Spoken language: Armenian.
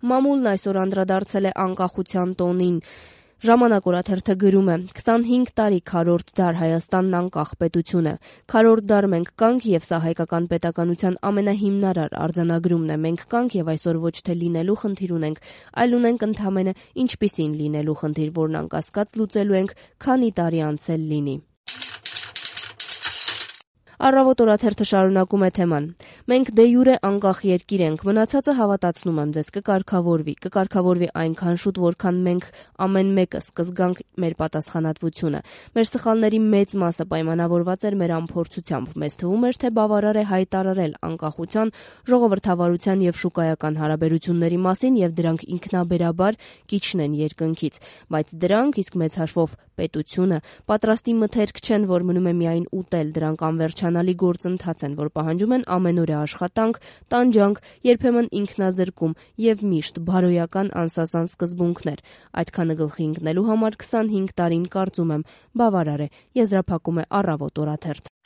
Մամուլն այսօր անդրադարձել է անկախության տոնին։ Ժամանակ օրաթերթը գրում է. 25 տարի քառորդ դար Հայաստանն անկախ պետություն է։ Քառորդ դար մենք կանք եւ սա հայկական պետականության ամենահիմնարար արձանագրումն է։ Մենք կանք եւ այսօր ոչ թե լինելու խնդիր ունենք, այլ ունենք ընդամենը ինչպիսին լինելու խնդիր, որն անկասկած լուծելու ենք, քանի տարի անցել լինի։ Առավոտ օրաթերթը շարունակում է թեման. Մենք դե յուրե անկախ երկիր ենք, մնացածը հավատացնում եմ ձեզ կկարգավորվի այնքան շուտ, որքան մենք ամեն մեկս կզգանք մեր պատասխանատվությունը։ Մեր սխալների մեծ մասը պայմանավորված էր մեր անփորձությամբ։ Մեզ թվում էր, թե բավարար է հայտարարել անկախության, ժողովրդավարության եւ շուկայական հարաբերությունների մասին եւ դրանք ինքնաբերաբար կիջնեն երկնքից, բայց դրանք, իսկ մեծ հաշվով պետությունը, պատրաստի մթերք չեն, որ մնում է միայն ուտել, դրանք անվերջանալի գործընթաց են, որ պահանջում են ամենօրյա աշխատանք, տանջանք, երբեմն ինքնազրկում եւ միշտ բարոյական անսասան սկզբունքներ։ Այդքանը գլխի ընկնելու համար 25 տարին կարծում եմ բավարար է, եզրափակում է Առավոտ օրաթերթ։